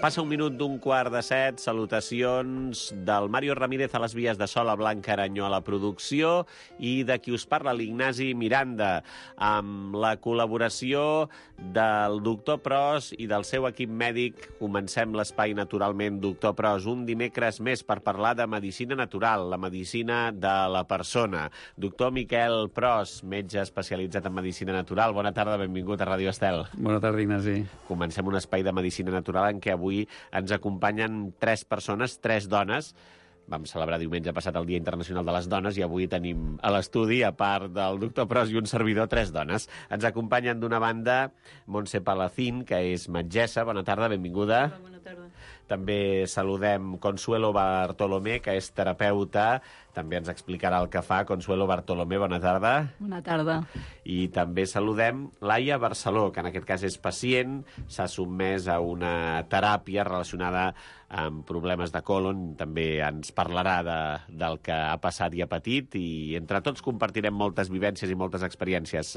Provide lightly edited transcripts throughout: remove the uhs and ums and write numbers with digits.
Passa un minut d'un quart de 7, salutacions del Mario Ramírez a les vies de so, la Blanca Aranyó a la producció i de qui us parla, l'Ignasi Miranda, amb la col·laboració del doctor Pros i del seu equip mèdic. Comencem l'espai naturalment, doctor Pros, un dimecres més per parlar de medicina natural, la medicina de la persona. Doctor Miquel Pros, metge especialitzat en medicina natural, bona tarda, benvingut a Ràdio Estel. Bona tarda, Ignasi. Comencem un espai de medicina natural en què avui ens acompanyen 3 persones, 3 dones. Vam celebrar diumenge passat el Dia Internacional de les Dones i avui tenim a l'estudi, a part del doctor Pros i un servidor, 3 dones. Ens acompanyen d'una banda Montse Palacín, que és metgessa. Bona tarda, benvinguda. Hola, bona tarda. També saludem Consuelo Bartolomé, que és terapeuta. També ens explicarà el que fa. Consuelo Bartolomé, bona tarda. Bona tarda. I també saludem Laia Barceló, que en aquest cas és pacient, s'ha sotmès a una teràpia relacionada amb problemes de còlon. També ens parlarà del que ha passat i ha patit i entre tots compartirem moltes vivències i moltes experiències.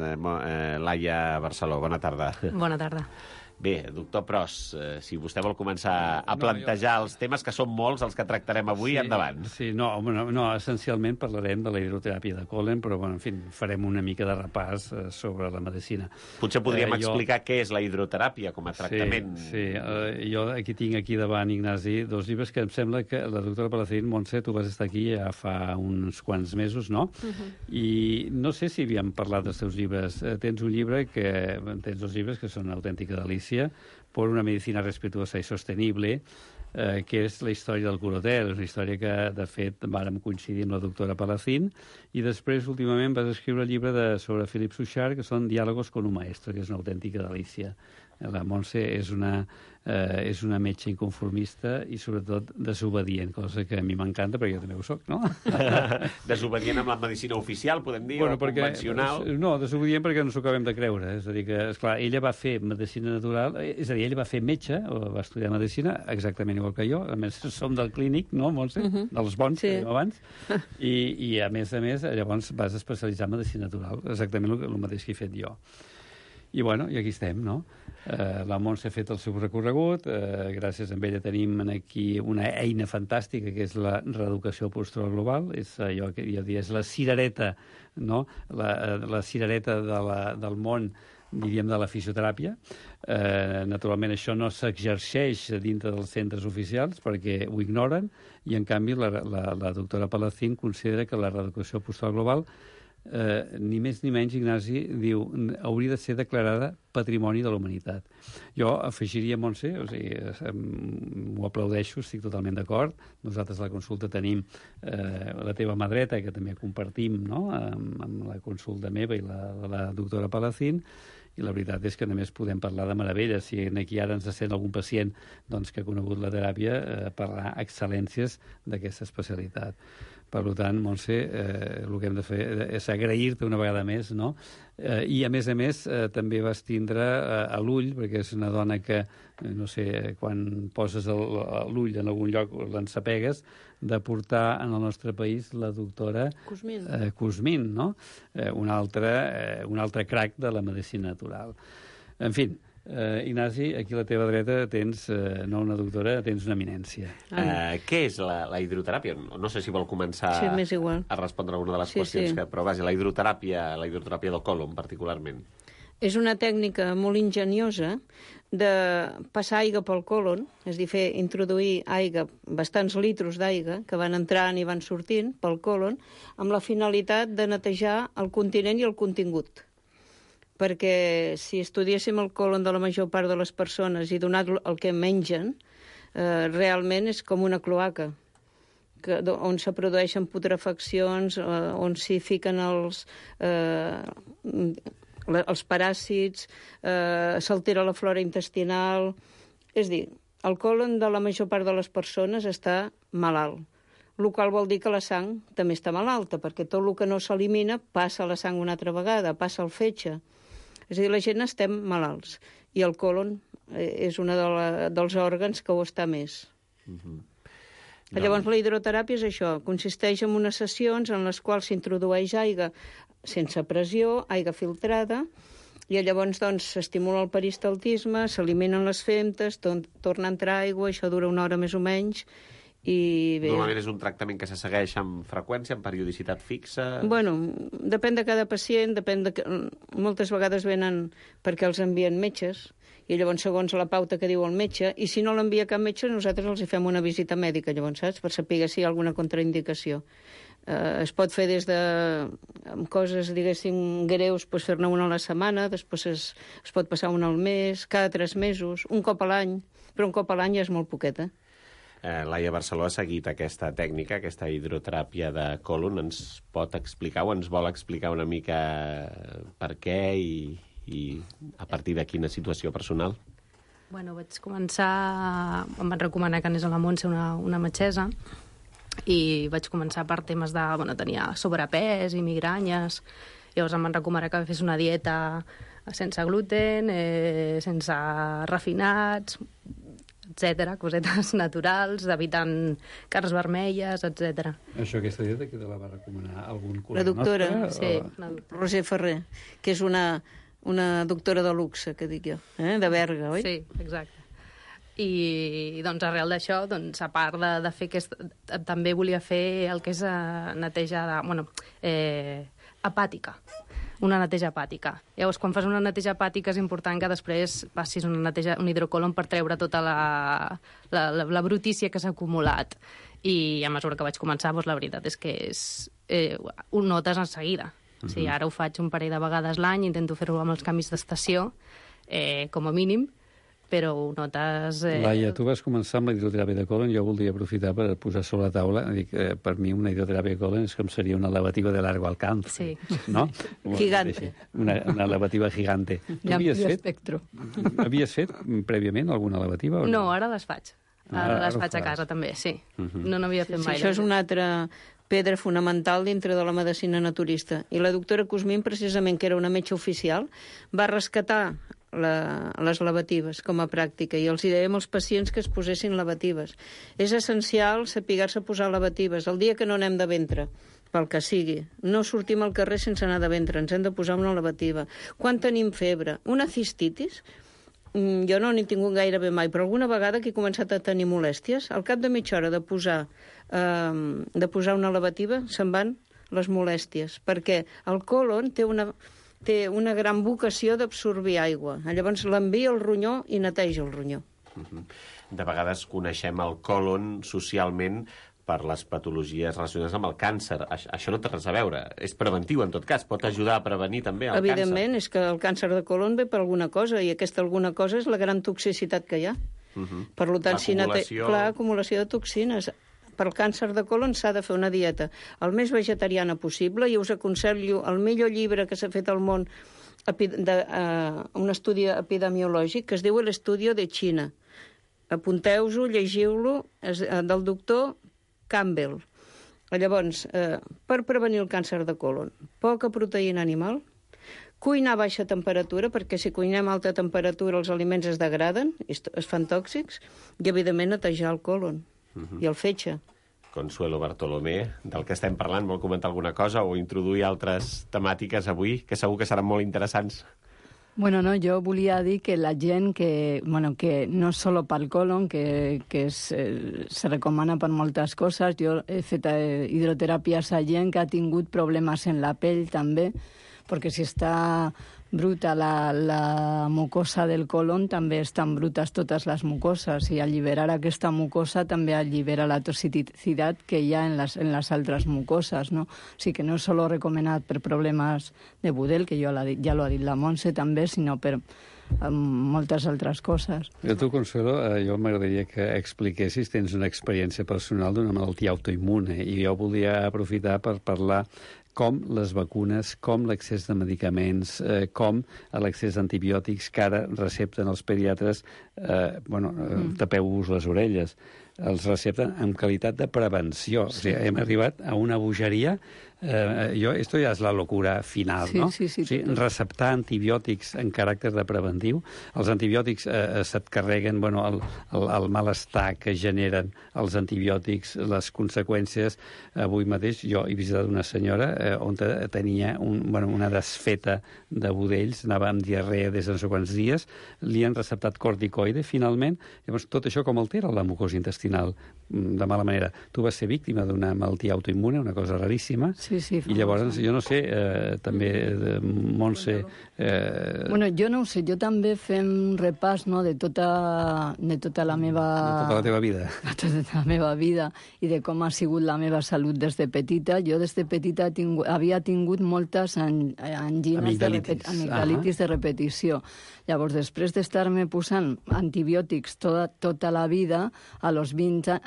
Laia Barceló, bona tarda. Bona tarda. Bé, doctor Pros, si vostè vol començar a plantejar els temes, que són molts els que tractarem avui, endavant. Sí, essencialment parlarem de la hidroteràpia de còlon, però, en fi, farem una mica de repàs sobre la medicina. Potser podríem explicar què és la hidroteràpia com a tractament. Sí, jo tinc aquí davant, Ignasi, 2 llibres que em sembla que la doctora Palacín, Montse, tu vas estar aquí ja fa uns quants mesos, no? I no sé si havíem parlat dels teus llibres. Tens 2 llibres que són una autèntica delícia, por una medicina respetuosa i sostenible, que és la història del Curotel. És una història que, de fet, vàrem coincidir amb la doctora Palacín, i després, últimament, vas escriure el llibre sobre Philip Suchard, que són Diàlogos con un maestro, que és una autèntica delícia. La Montse és una metge inconformista i, sobretot, desobedient, cosa que a mi m'encanta, perquè jo també ho soc, no? Desobedient amb la medicina oficial, podem dir, o convencional? No, desobedient perquè no s'ho acabem de creure. És a dir, que, esclar, ella va fer medicina natural, és a dir, ella va fer metge, o va estudiar medicina, exactament igual que jo. A més, som del clínic, no, Montse? Dels bons, que dèiem abans. I, a més, llavors vas especialitzar en medicina natural, exactament el mateix que he fet jo. I, bueno, i aquí estem, no? La Montse ha fet el seu recorregut, gràcies a ella tenim aquí una eina fantàstica, que és la reeducació postural global, és allò que jo diria, és la cirereta, no? La cirereta del món, diríem, de la fisioteràpia. Naturalment, això no s'exerceix dintre dels centres oficials perquè ho ignoren, i, en canvi, la doctora Palacín considera que la reeducació postural global, ni més ni menys, Ignasi, diu, hauria de ser declarada patrimoni de la humanitat. Jo afegiria, Montse, o sigui, m'ho aplaudeixo, estic totalment d'acord. Nosaltres a la consulta tenim la teva mà dreta, que també compartim, no?, amb la consulta meva i la doctora Palacín, i la veritat és que només podem parlar de meravelles. Si aquí ara ens sent algun pacient, doncs, que ha conegut la teràpia, parlar excel·lències d'aquesta especialitat. Per tant, Montse, el que hem de fer és agrair-te una vegada més, no? I, a més, també vas tindre a l'ull, perquè és una dona que, no sé, quan poses l'ull en algun lloc l'ensapegues, de portar en el nostre país la doctora Cosmin, no? Un altre crac de la medicina natural. En fi, Ignasi, aquí a la teva dreta tens, no una doctora, tens una eminència. Què és la hidroteràpia? No sé si vol començar a respondre alguna de les qüestions, però vaja, la hidroteràpia del còlon, particularment. És una tècnica molt enginyosa de passar aigua pel còlon, és a dir, introduir aigua, bastants litros d'aigua, que van entrant i van sortint pel còlon, amb la finalitat de netejar el continent i el contingut. Perquè si estudiéssim el còlon de la major part de les persones i donat el que mengen, realment és com una cloaca, on se produeixen putrefaccions, on s'hi fiquen els paràsits, s'altera la flora intestinal. És a dir, el còlon de la major part de les persones està malalt, el qual vol dir que la sang també està malalta, perquè tot el que no s'elimina passa a la sang una altra vegada, passa al fetge. És a dir, la gent estem malalts, i el còlon és un dels òrgans que ho està més. Llavors, la hidroteràpia és això, consisteix en unes sessions en les quals s'introdueix aigua sense pressió, aigua filtrada, i llavors doncs s'estimula el peristaltisme, s'eliminen les femtes, torna a entrar aigua, això dura una hora més o menys, i bé... Normalment és un tractament que se segueix amb freqüència, amb periodicitat fixa? Bueno, depèn de cada pacient, moltes vegades venen perquè els envien metges, i llavors segons la pauta que diu el metge, i si no l'envia cap metge, nosaltres els hi fem una visita mèdica, llavors, saps? Per saber si hi ha alguna contraindicació. Es pot fer des de amb coses, diguéssim, greus, doncs fer-ne una a la setmana, després es pot passar una al mes, cada 3 mesos, un cop a l'any, però un cop a l'any ja és molt poqueta. Laia Barceló ha seguit aquesta tècnica, aquesta hidroteràpia de còlon. Ens pot explicar o ens vol explicar una mica per què i a partir de quina situació personal? Bueno, vaig començar... Em van recomanar que anés a la Montse, una metgessa, i vaig començar per temes de... Bueno, tenia sobrepès i migranyes. Llavors em van recomanar que fes una dieta sense gluten, sense refinats, etc, cosetes naturals, evitant carns vermelles, etc. Això, aquesta dieta, que te la va recomanar algun col·lega La doctora, nostre? Sí, Roser Ferrer, que és una doctora de luxe, que dic jo, de Berga, oi? Sí, exacte. I doncs arrel d'això, doncs, a part de fer també volia fer el que és neteja hepàtica, una neteja hepàtica. Llavors, quan fas una neteja hepàtica és important que després passis un hidrocolon per treure tota la brutícia que s'ha acumulat. I a mesura que vaig començar, doncs, la veritat és que ho notes en seguida. O sigui, ara ho faig un parell de vegades l'any, intento fer-ho amb els canvis d'estació, com a mínim, però ho notes... Laia, tu vas començar amb la hidroteràpia de còlon. Jo voldria aprofitar per posar sobre la taula. Dic, per mi una hidroteràpia de còlon és com seria una lavativa de largo alcance. Sí. No? Gigante. Una lavativa gigante. Tu havies fet prèviament alguna lavativa? O no, ara les faig. Ara les faig a casa, també, sí. No n'havia fet mai. Això és una altra pedra fonamental dintre de la medicina naturista. I la doctora Cosmin, precisament, que era una metge oficial, va rescatar les lavatives com a pràctica, i els hi dèiem als pacients que es posessin lavatives. És essencial saber-se posar lavatives. El dia que no anem de ventre, pel que sigui, no sortim al carrer sense anar de ventre, ens hem de posar una lavativa. Quan tenim febre, una cistitis, jo no n'he tingut gairebé mai, però alguna vegada que he començat a tenir molèsties, al cap de mitja hora de posar una lavativa se'n van les molèsties, perquè el còlon té una gran vocació d'absorbir aigua. Llavors l'envia al ronyó i neteja el ronyó. De vegades coneixem el còlon socialment per les patologies relacionades amb el càncer. Això no té res a veure. És preventiu, en tot cas. Pot ajudar a prevenir també el càncer. Evidentment, és que el càncer de còlon ve per alguna cosa, i aquesta alguna cosa és la gran toxicitat que hi ha. Per tant, acumulació de toxines. Per al càncer de còlon s'ha de fer una dieta el més vegetariana possible, i us aconsello el millor llibre que s'ha fet al món, un estudi epidemiològic que es diu l'Estudio de Xina. Apunteu-ho, llegiu-lo, del doctor Campbell. Llavors, per prevenir el càncer de còlon, poca proteïna animal, cuinar a baixa temperatura, perquè si cuinem a alta temperatura els aliments es degraden, es fan tòxics, i evidentment netejar el còlon i el fetge. Consuelo Bartolomé, del que estem parlant, vol comentar alguna cosa o introduir altres temàtiques avui, que segur que seran molt interessants? Bueno, no, jo volia dir que la gent que no és solo pel còlon, que se recomana per moltes coses. Jo he fet hidroteràpies a gent que ha tingut problemes en la pell també, perquè si està bruta la mucosa del còlon, també estan brutes totes les mucoses, i alliberar aquesta mucosa també allibera la toxicitat que hi ha en les altres mucoses, no? O sigui que no és solo recomanat per problemes de budel, que ja lo ha dit la Montse també, sinó per moltes altres coses. I tu, Consuelo, jo m'agradaria que expliquessis, tens una experiència personal d'una malaltia autoimmune, i jo volia aprofitar per parlar com les vacunes, com l'accés de medicaments, com l'accés d'antibiòtics que ara recepten els pediatres tapeu-vos les orelles. Els recepten amb qualitat de prevenció. O sigui, hem arribat a una bogeria. Esto ja és la locura final, no? Sí. Receptar antibiòtics en caràcter de preventiu. Els antibiòtics se't carreguen el malestar que generen els antibiòtics, les conseqüències. Avui mateix jo he visitat una senyora on tenia una desfeta de budells, anava amb diarrea des de no sé quants dies, li han receptat corticoide, finalment. Llavors, tot això com altera la mucosa intestinal de mala manera. Tu vas ser víctima d'una malaltia autoimmune, una cosa raríssima, Sí, i llavors, jo no sé, també, Montse... Jo no ho sé, jo també fem un repàs, no?, de tota la meva... De tota la teva vida. De tota la meva vida i de com ha sigut la meva salut des de petita. Jo des de petita havia tingut moltes angines amigdalitis de repetició. Llavors, després d'estar-me posant antibiòtics tota la vida, a los 20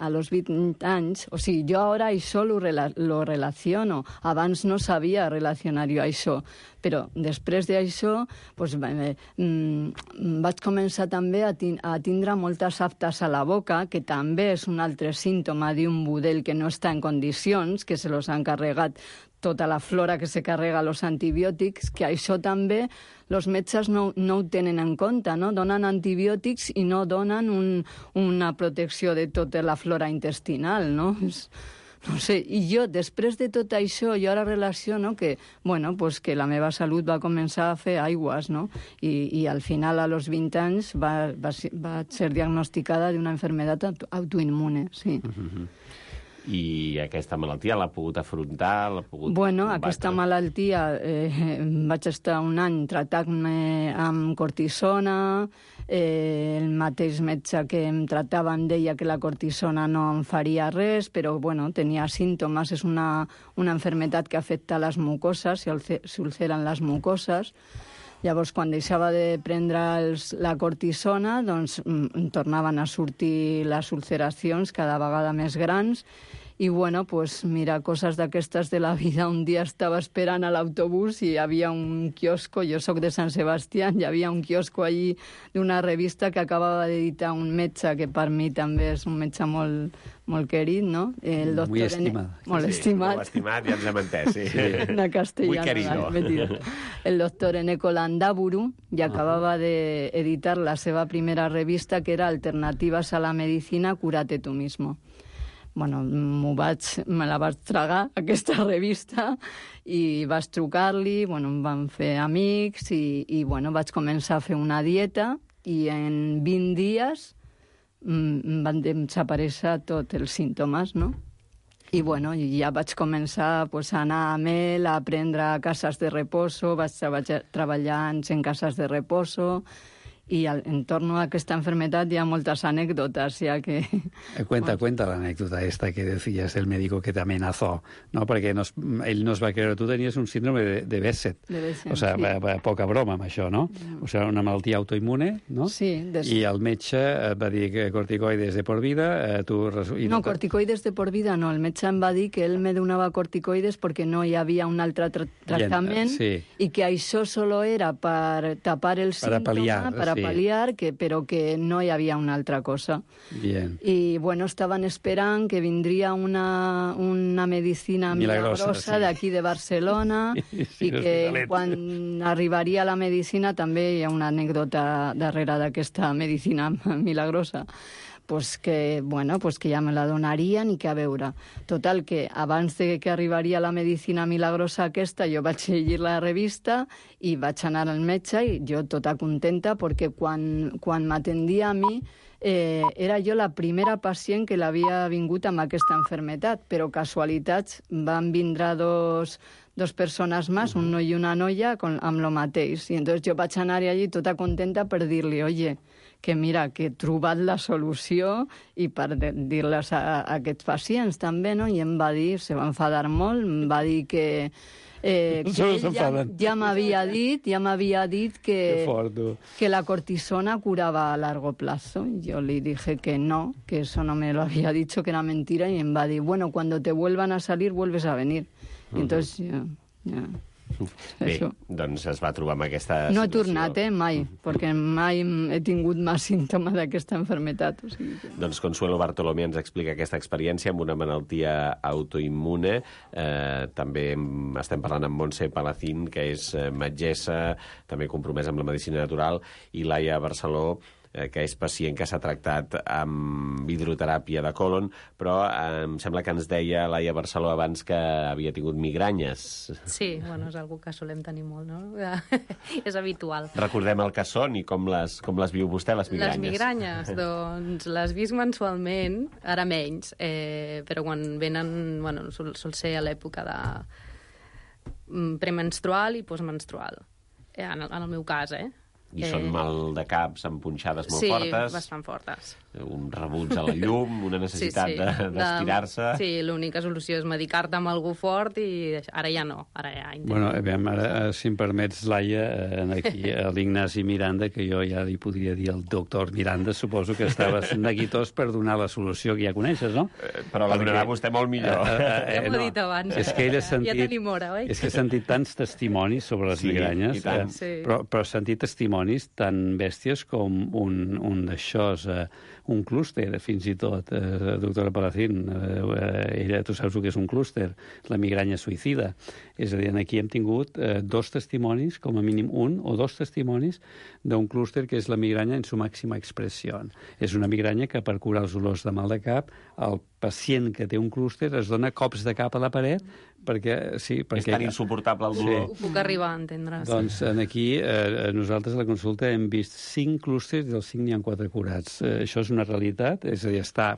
anys, o sigui, jo ara això lo relaciono. Abans no sabia relacionar-ho això, però després d'això vaig començar també a tindre moltes aftes a la boca, que també és un altre símptoma d'un budell que no està en condicions, que se los han carregat tota la flora que se carrega els antibiòtics, que això també els metges no ho tenen en compte, no? Donen antibiòtics i no donen una protecció de tota la flora intestinal, no? No sé, i jo, després de tot això, jo ara relaciono que la meva salut va començar a fer aigües, no? I al final, a los 20 anys, va ser diagnosticada d'una enfermedad autoimmune, sí. I aquesta malaltia l'ha pogut afrontar? Aquesta malaltia vaig estar un any tractant-me amb cortisona, el mateix metge que em tractava em deia que la cortisona no em faria res, però tenia símptomes, és una enfermedad que afecta les mucoses, s'ulceren les mucoses. Llavors, quan deixava de prendre la cortisona, doncs tornaven a sortir les ulceracions cada vegada més grans. I, mira, coses d'aquestes de la vida. Un dia estava esperant a l'autobús i hi havia un quiosco, jo sóc de Sant Sebastià, hi havia un quiosco allí d'una revista que acabava d'editar un metge, que per mi també és un metge molt querit, no? El doctor Muy estimat. Molt estimat. Molt estimat, ja ens hem entès, sí. Una castellana. Muy querido. El doctor Eneko Landaburu ja acabava d'editar la seva primera revista, que era Alternativas a la medicina, cúrate tú mismo. Me la vaig tragar, aquesta revista, i vaig trucar-li, em van fer amics, i vaig començar a fer una dieta, i en 20 dies van desaparèixer tots els símptomes, no? I ja vaig començar a anar amb ell, a aprendre cases de reposo, vaig treballar en cases de reposo, y en torno a esta enfermedad ya muchas anécdotas, ya que... Cuenta la anécdota esta que decías del médico que te amenazó, ¿no? Porque él nos va a creer, tú tenías un síndrome de Behçet. O sea, sí. Poca broma amb això, no? O sea, una malaltia autoimmune, no? Sí. I el metge et va dir que corticoides de por vida... corticoides de por vida no. El metge em va dir que ell me donava corticoides perquè no hi havia un altre tractament i que això solo era per tapar el símptoma, pal·liar, però que no hi havia una altra cosa. Bien. I, estaven esperant que vindria una medicina milagrosa d'aquí de Barcelona i que quan arribaria la medicina també hi ha una anècdota darrere d'aquesta medicina milagrosa. Que ja me la donarien i que a veure. Total, que abans de que arribaria la medicina milagrosa aquesta, jo vaig llegir la revista i vaig anar al metge i jo tota contenta perquè quan m'atendia a mi era jo la primera pacient que l'havia vingut amb aquesta enfermedad, però casualitats van vindre dos persones més, un noi i una noia, amb lo mateix. I entonces jo vaig anar allí tota contenta per dir-li, oye, que mira, que he trobat la solució i per dir-les a aquests pacients també, no? I em va dir, se va enfadar molt, em va dir que ja m'havia dit que la cortisona curaba a largo plazo. Yo le dije que no, que eso no me lo había dicho, que era mentira, y em va dir, cuando te vuelvan a salir, vuelves a venir. Y entonces, Bé, doncs es va trobar amb aquesta No he situació. tornat, mai, perquè mai he tingut més símptomes d'aquesta malaltia. O sigui que... Doncs Consuelo Bartolomé ens explica aquesta experiència amb una malaltia autoimmune. També estem parlant amb Montse Palacín, que és metgessa, també compromesa amb la medicina natural, i Laia Barceló, que és pacient que s'ha tractat amb hidroteràpia de colon, però em sembla que ens deia Laia Barceló abans que havia tingut migranyes. Sí, bueno, és algo que solem tenir molt, no? És habitual. Recordem el que són i com les viu vostè, les migranyes. Les migranyes, doncs les visc mensualment, ara menys, però quan venen, bueno, sol ser a l'època de premenstrual i postmenstrual, en el meu cas, I són mal de caps amb punxades molt fortes. Sí, bastant fortes. Un rebuig a la llum, una necessitat d'estirar-se. Sí, l'única solució és medicar-te amb algú fort i ara ja no, ara ja intento. Bueno, ara, si em permets, Laia, aquí a l'Ignasi Miranda, que jo ja li podria dir el doctor Miranda, suposo que estaves neguitós per donar la solució que ja coneixes, no? Però la donarà vostè molt millor. Ja m'ho he dit abans. És que ell ha sentit, ja tenim hora, oi? És que he sentit tants testimonis sobre les migranyes, però he sentit testimonis tan bèsties com un d'aixòs, un clúster, fins i tot, doctora Palacín. Ella, tu saps el que és un clúster, la migranya suïcida. És a dir, aquí hem tingut dos testimonis, com a mínim un o dos testimonis d'un clúster que és la migranya en su màxima expressió. És una migranya que per curar els dolors de mal de cap, el pacient que té un clúster es dona cops de cap a la paret perquè és tan insuportable el dolor. Ho puc arribar a entendre. Doncs aquí nosaltres a la consulta hem vist 5 clústers i dels 5 n'hi ha 4 curats. Això és una realitat, és a dir, està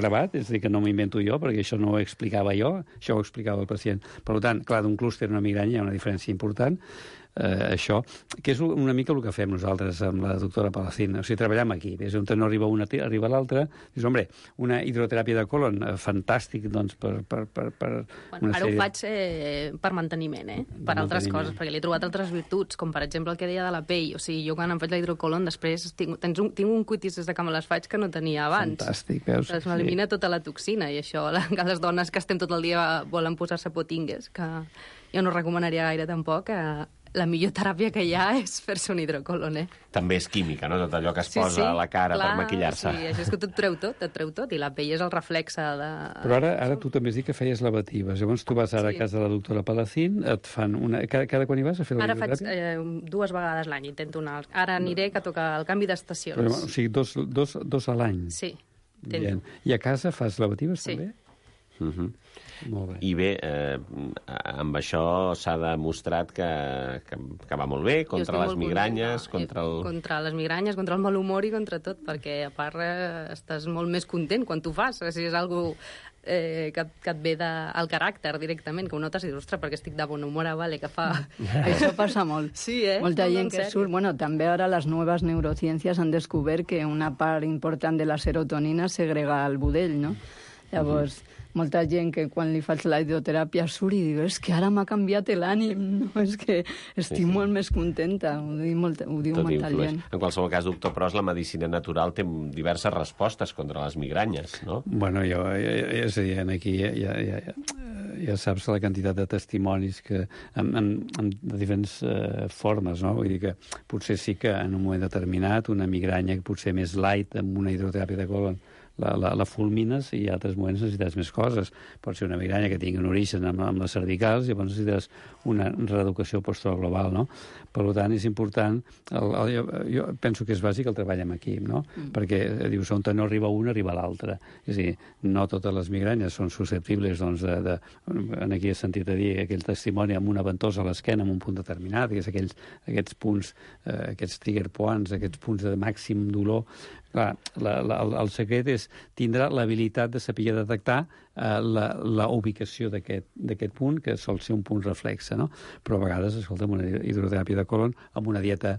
gravat, és a dir, que no m'ho invento jo, perquè això no ho explicava jo, això ho explicava el pacient. Per tant, clar, d'un clúster a una migranya hi ha una diferència important. Això, que és una mica el que fem nosaltres amb la doctora Palacín. O sigui, treballem aquí. És on no arriba una, arriba l'altra. Dius, hombre, una hidroteràpia de colon, fantàstic, doncs, per bueno, ara ho faig per manteniment, per altres coses, perquè li he trobat altres virtuts, com per exemple el que deia de la pell. O sigui, jo quan em faig la hidrocolon, després tinc un cuitis des de que me les faig que no tenia abans. Fantàstic, veus? Doncs m'elimina tota la toxina, i això, que les dones que estem tot el dia volen posar-se potingues, que jo no recomanaria gaire tampoc, la millor teràpia que hi ha és fer-se un hidrocolon, També és química, no? Tot allò que es posa a la cara per maquillar-se. Sí, això és que et treu tot, i la pell és el reflexe de... Però ara tu també has dit que feies lavatives. Llavors tu vas ara a casa de la doctora Palacín, et fan una... Cada quan hi vas a fer la hidroteràpia? Ara faig 2 vegades l'any, intento anar. Ara aniré, que toca el canvi d'estacions. Però, o sigui, dos a l'any? Sí, intento. I a casa fas lavatives també? Molt bé. I bé, amb això s'ha demostrat que va molt bé contra les migranyes, contra les migranyes, contra el mal humor i contra tot, perquè a part estàs molt més content quan t'ho fas. Si és algo que et ve al caràcter directament, que ho notes i dius, ostres, perquè estic de bon humor, vale, que fa... Això passa molt. Sí, Molta gent que surt... Bueno, també ara les noves neurociències han descobert que una part important de la serotonina segrega al budell, no? Llavors, molta gent que quan li faig la hidroteràpia surt i diu, és que ara m'ha canviat l'ànim, no? És que estic molt més contenta, ho diu molta gent. En qualsevol cas, doctor Pros, la medicina natural té diverses respostes contra les migranyes, no? Bueno, és a dir, aquí ja saps la quantitat de testimonis que en diferents formes, no? Vull dir que potser sí que en un moment determinat una migranya potser més light amb una hidroteràpia de colon la fulmines i a altres moments necessites més coses. Pot ser una migranya que tingui un origen amb les cervicals i llavors necessites una reeducació postural global, no? Per tant, és important... Jo penso que és bàsic el treball amb equip, no? Perquè dius, on no arriba un, arriba l'altre. És a dir, no totes les migranyes són susceptibles, doncs, aquí he sentit a dir aquell testimoni amb una ventosa a l'esquena en un punt determinat, que és aquests punts, aquests trigger points, aquests punts de màxim dolor. Clar, el secret és tindre l'habilitat de saber detectar la ubicació d'aquest punt, que sol ser un punt reflexe, no? Però a vegades, escolta, una hidroteràpia de colon amb una dieta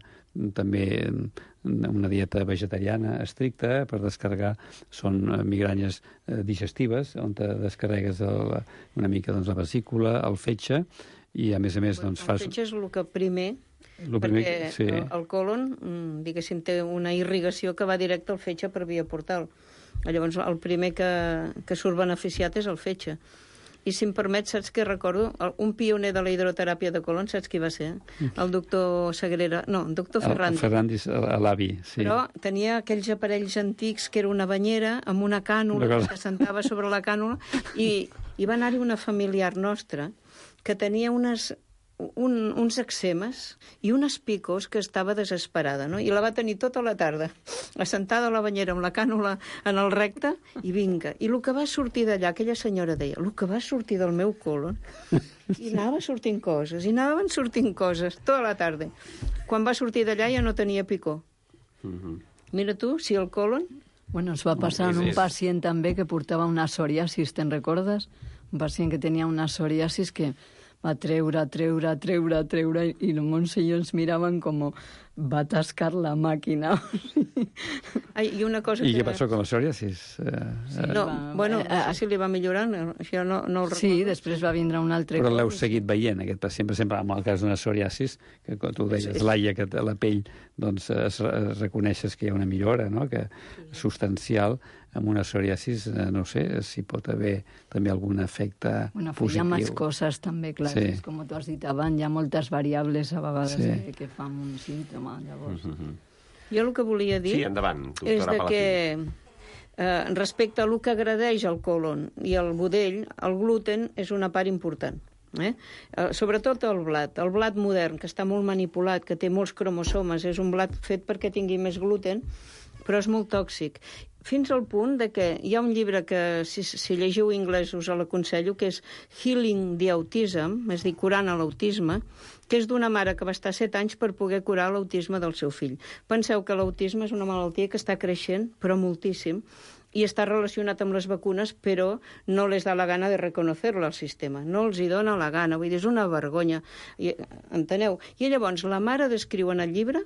també una dieta vegetariana estricta per descarregar, són migranyes digestives, on te descarregues una mica la vesícula, el fetge, i a més doncs fas... El fetge és el que primer... perquè sí. El colon, diguéssim, té una irrigació que va directe al fetge per via portal. Llavors, el primer que surt beneficiat és el fetge. I si em permet, saps què recordo? Un pioner de la hidroteràpia de colon, saps qui va ser? El doctor Sagrera... No, el doctor Ferrandi. Ferrandis, l'avi, sí. Però tenia aquells aparells antics que era una banyera amb una cànula, que sentava sobre la cànula, i va anar-hi una familiar nostra que tenia uns eczemes i unes picos que estava desesperada, no? I la va tenir tota la tarda, assentada a la banyera amb la cànula en el recte, i vinga. I el que va sortir d'allà, aquella senyora deia, el que va sortir del meu colon, i anava sortint coses, i anaven sortint coses, tota la tarda. Quan va sortir d'allà ja no tenia picor. Mira tu, si el colon... Bueno, ens va passar en un pacient també que portava una psoriasis, te'n recordes? Un pacient que tenia una psoriasis que va treure, i el Montseny ens miraven com va tascar la màquina. Ai, i una cosa I què passó con la psoriasis? No, bueno, no sé si li va millorant, això no ho recordo. Sí, després va vindre un altre... Però l'heu seguit veient, aquest pacient, per exemple, en el cas d'una psoriasis, que com tu deies, Laia, que la pell, doncs, reconeixes que hi ha una millora, no?, que substancial. Amb una psoriasis, no sé, si pot haver també algun efecte positiu. Hi ha més coses també, clar. Sí. Com tu has dit abans, hi ha moltes variables a vegades que fan un símptoma, llavors. Jo el que volia dir és que respecte a el que agradeix el colon i el budell, el gluten és una part important. Sobretot el blat modern, que està molt manipulat, que té molts cromosomes, és un blat fet perquè tingui més gluten, però és molt tòxic. Fins al punt de que hi ha un llibre que, si llegiu anglès, us l'aconsello, que és Healing the Autism, és a dir, curant l'autisme, que és d'una mare que va estar 7 anys per poder curar l'autisme del seu fill. Penseu que l'autisme és una malaltia que està creixent, però moltíssim, i està relacionat amb les vacunes, però no les da la gana de reconocer-lo al sistema. No els hi dona la gana, vull dir, és una vergonya. Enteneu? I llavors la mare descriu en el llibre,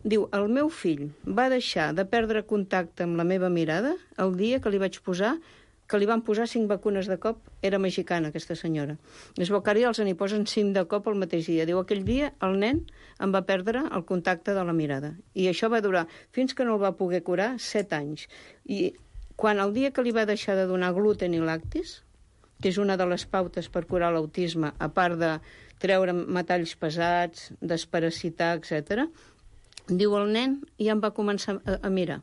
diu, el meu fill va deixar de perdre contacte amb la meva mirada el dia que li van posar 5 vacunes de cop. Era mexicana, aquesta senyora. Es veu que ara els n'hi posen 5 de cop el mateix dia. Diu, aquell dia el nen em va perdre el contacte de la mirada. I això va durar, fins que no el va poder curar, 7 anys. I quan el dia que li va deixar de donar gluten i lactis, que és una de les pautes per curar l'autisme, a part de treure metalls pesats, desparasitar, etc., diu el nen ja em va començar a mirar.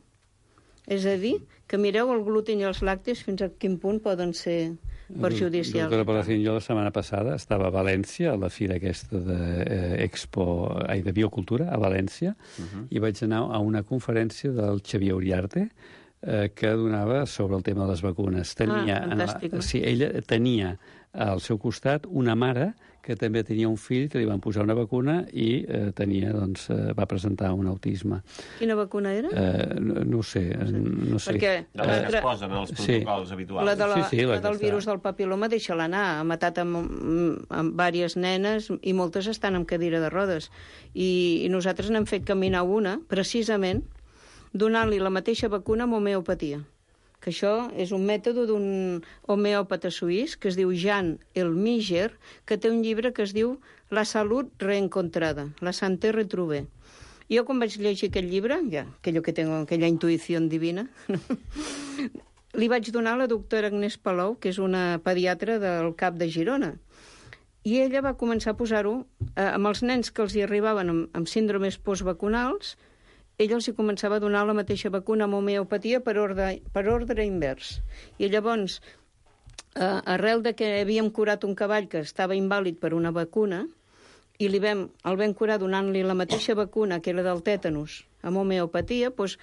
És a dir, que mireu el gluten i els làctics fins a quin punt poden ser perjudicials. Doctora Palacín, jo la setmana passada estava a València, a la fira aquesta de biocultura, a València, i vaig anar a una conferència del Xavier Uriarte, que donava sobre el tema de les vacunes. Fantàstic. Sí, ella tenia al seu costat una mare que també tenia un fill que li van posar una vacuna i va presentar un autisme. Quina vacuna era? No sé. Perquè de les que es posen als protocols habituals. La del virus del papiloma, deixa-la anar. Ha matat amb diverses nenes i moltes estan en cadira de rodes. I nosaltres n'hem fet caminar una, precisament, donant-li la mateixa vacuna amb homeopatia. Que això és un mètode d'un homeòpata suís que es diu Jean Elmiger, que té un llibre que es diu La salut reencontrada, la santé retrouvée. Jo quan vaig llegir aquest llibre, aquella intuïció divina, li vaig donar a la doctora Agnès Palou, que és una pediatra del CAP de Girona. I ella va començar a posar-ho amb els nens que els hi arribaven amb síndromes postvacunals. Ella els hi començava a donar la mateixa vacuna amb homeopatia per ordre invers. I llavors, arrel de que havíem curat un cavall que estava invàlid per una vacuna, i el vam curar donant-li la mateixa vacuna, que era del tètanus, amb homeopatia, doncs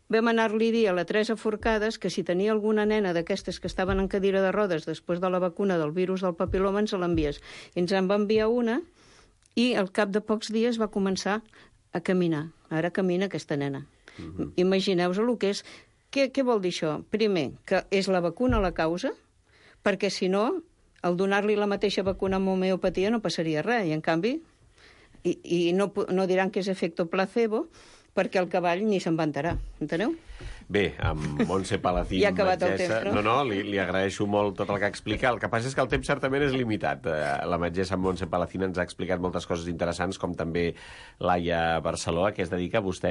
vam anar-li a dir a la Teresa Forcades que si tenia alguna nena d'aquestes que estaven en cadira de rodes després de la vacuna del virus del papiloma ens l'envies. Ens en va enviar una i al cap de pocs dies va començar a caminar. Ara camina aquesta nena. Imagineu-vos el que és. Què vol dir això? Primer, que és la vacuna la causa, perquè si no, al donar-li la mateixa vacuna amb homeopatia no passaria res. I en canvi, no diran que és efecte placebo, perquè el cavall ni se'n va enterar. Enteneu? Bé, amb Montse Palacín, Ja ha acabat el metgessa... temps, no? No, li agraeixo molt tot el que explica. El que passa és que el temps certament és limitat. La metgessa Montse Palacín ens ha explicat moltes coses interessants, com també Laia Barceló, a què es dedica vostè?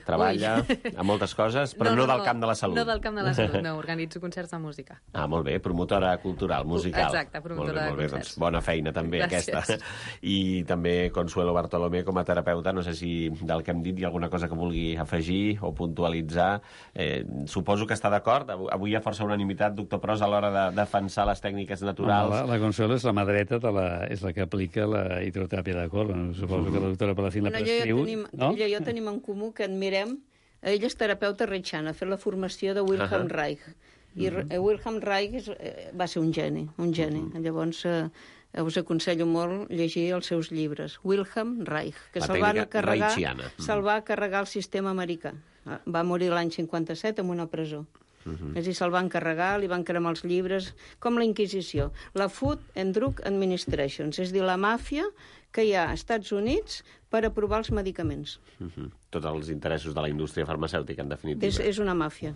Treballa a moltes coses, però no del camp de la salut. No del camp de la salut, no. Organitzo concerts de música. Ah, molt bé. Promotora cultural, musical. Exacte, promotora de concerts. Doncs bona feina, també, Gràcies. aquesta. I també Consuelo Bartolomé, com a terapeuta. No sé si del que hem dit hi ha alguna cosa que vulgui afegir o puntualitzar. Suposo que està d'acord. Avui hi ha força unanimitat, doctor Pros, a l'hora de defensar les tècniques naturals. La Consuelo és la mà dreta, és la que aplica la hidroteràpia de colon. Suposo que la doctora Palacín la prescriu. Ella i jo tenim en comú que admirem... Ella és terapeuta reichiana, ha fet la formació de Wilhelm Reich. I Wilhelm Reich va ser un geni, un geni. Llavors... us aconsello molt llegir els seus llibres. Wilhelm Reich, que se'l va carregar el sistema americà. Va morir l'any 57 en una presó. És a dir, se'l van carregar, li van cremar els llibres, com la Inquisició. La Food and Drug Administration, és a dir, la màfia que hi ha als Estats Units per aprovar els medicaments. Tots els interessos de la indústria farmacèutica, en definitiva. És una màfia.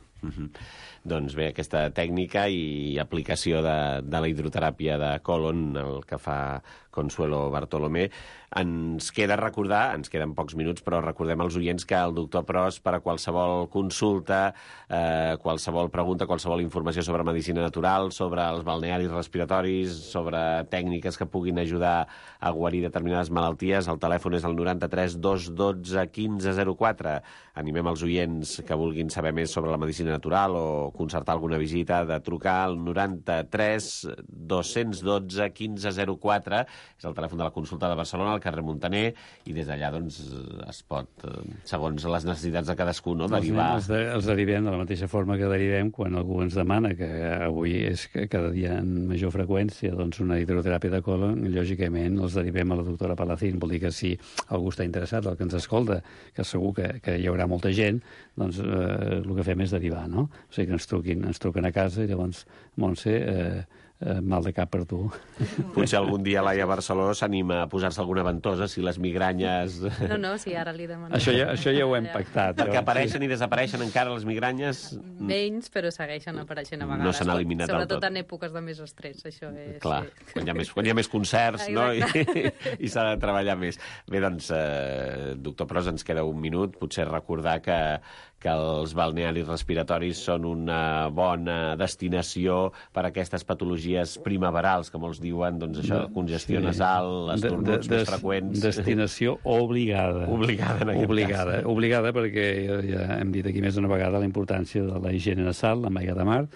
Doncs bé, aquesta tècnica i aplicació de la hidroteràpia de colon, el que fa Consuelo Bartolomé, ens queda recordar, ens queden pocs minuts, però recordem als oients que el doctor Pros, per a qualsevol consulta, qualsevol pregunta, qualsevol informació sobre medicina natural, sobre els balnearis respiratoris, sobre tècniques que puguin ajudar a guarir determinades malalties, el telèfon és el 93 212 1504. Animem els oients que vulguin saber més sobre la medicina natural o concertar alguna visita de trucar al 93 212 1504. És el telèfon de la consulta de Barcelona, al carrer Montaner, i des d'allà doncs, es pot, segons les necessitats de cadascú, no, derivar... Els derivem de la mateixa forma que derivem quan algú ens demana, que avui és que cada dia en major freqüència, doncs una hidroteràpia de colon, lògicament els derivem a la doctora Palacín. Vol dir que si algú està interessat, el que ens escolta, que segur que hi haurà molta gent, doncs el que fem és derivar, no? O sigui que ens truquen a casa i llavors, Montse, mal de cap per tu. Potser algun dia Laia Barceló s'anima a posar-se alguna ventosa si les migranyes... No, sí, ara li demano. Això ja ho hem pactat. Perquè apareixen i desapareixen encara les migranyes... Menys, però segueixen apareixent a vegades. No s'han eliminat del tot. Sobretot en èpoques de més estrès, això és... Clar, quan hi ha més concerts, no? I s'ha de treballar més. Bé, doncs, doctor Pros, ens queda un minut. Potser recordar que els balnearis respiratoris són una bona destinació per a aquestes patologies primaverals, que molts diuen, doncs això, congestió nasal, estornuts més freqüents... Destinació obligada. Obligada, en aquest cas. Obligada perquè ja hem dit aquí més d'una vegada la importància de la higiene nasal, la maiga de mar,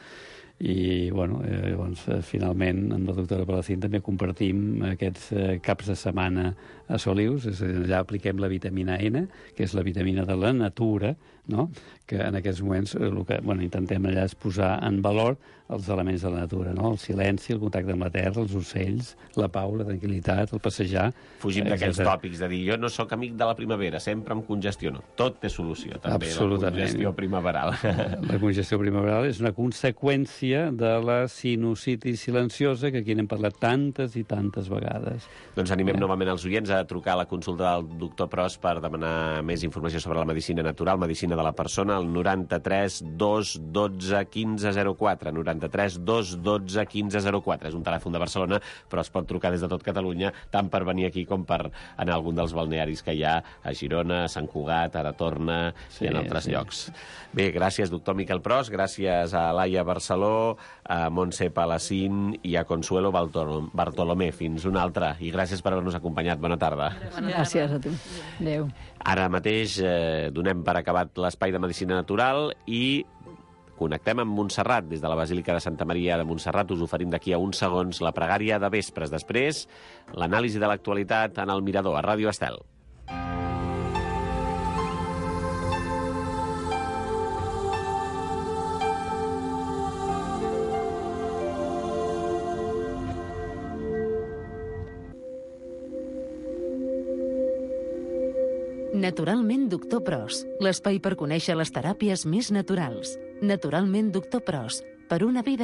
i bueno, llavors finalment amb la doctora Palacín també compartim aquests caps de setmana a Solius, és a dir, allà apliquem la vitamina N, que és la vitamina de la natura, no? Que en aquests moments el que intentem allà és posar en valor els elements de la natura, no? El silenci, el contacte amb la terra, els ocells, la pau, la tranquil·litat, el passejar... Fugim d'aquells tòpics de dir jo no sóc amic de la primavera, sempre em congestiono. Tot té solució, també, la congestió primaveral. La congestió primaveral és una conseqüència de la sinusitis silenciosa que aquí n'hem parlat tantes i tantes vegades. Doncs animem novament els oients a trucar a la consulta del doctor Pros per demanar més informació sobre la medicina natural, medicina de la persona, al 93 212 1504. 93 212 1504. És un telèfon de Barcelona, però es pot trucar des de tot Catalunya, tant per venir aquí com per anar a algun dels balnearis que hi ha a Girona, a Sant Cugat, a Aratorna i en altres llocs. Bé, gràcies, doctor Miquel Pros, gràcies a Laia Barceló, a Montse Palacín i a Consuelo Bartolomé. Fins una altra, i gràcies per haver-nos acompanyat. Bona tarda. Gràcies a tu. Adéu. Ara mateix donem per acabat l'espai de medicina natural i connectem amb Montserrat. Des de la Basílica de Santa Maria de Montserrat us oferim d'aquí a uns segons la pregària de vespres. Després, l'anàlisi de l'actualitat en el Mirador, a Ràdio Estel. Naturalment Doctor Pros, l'espai per conèixer les teràpies més naturals. Naturalment Doctor Pros, per una vida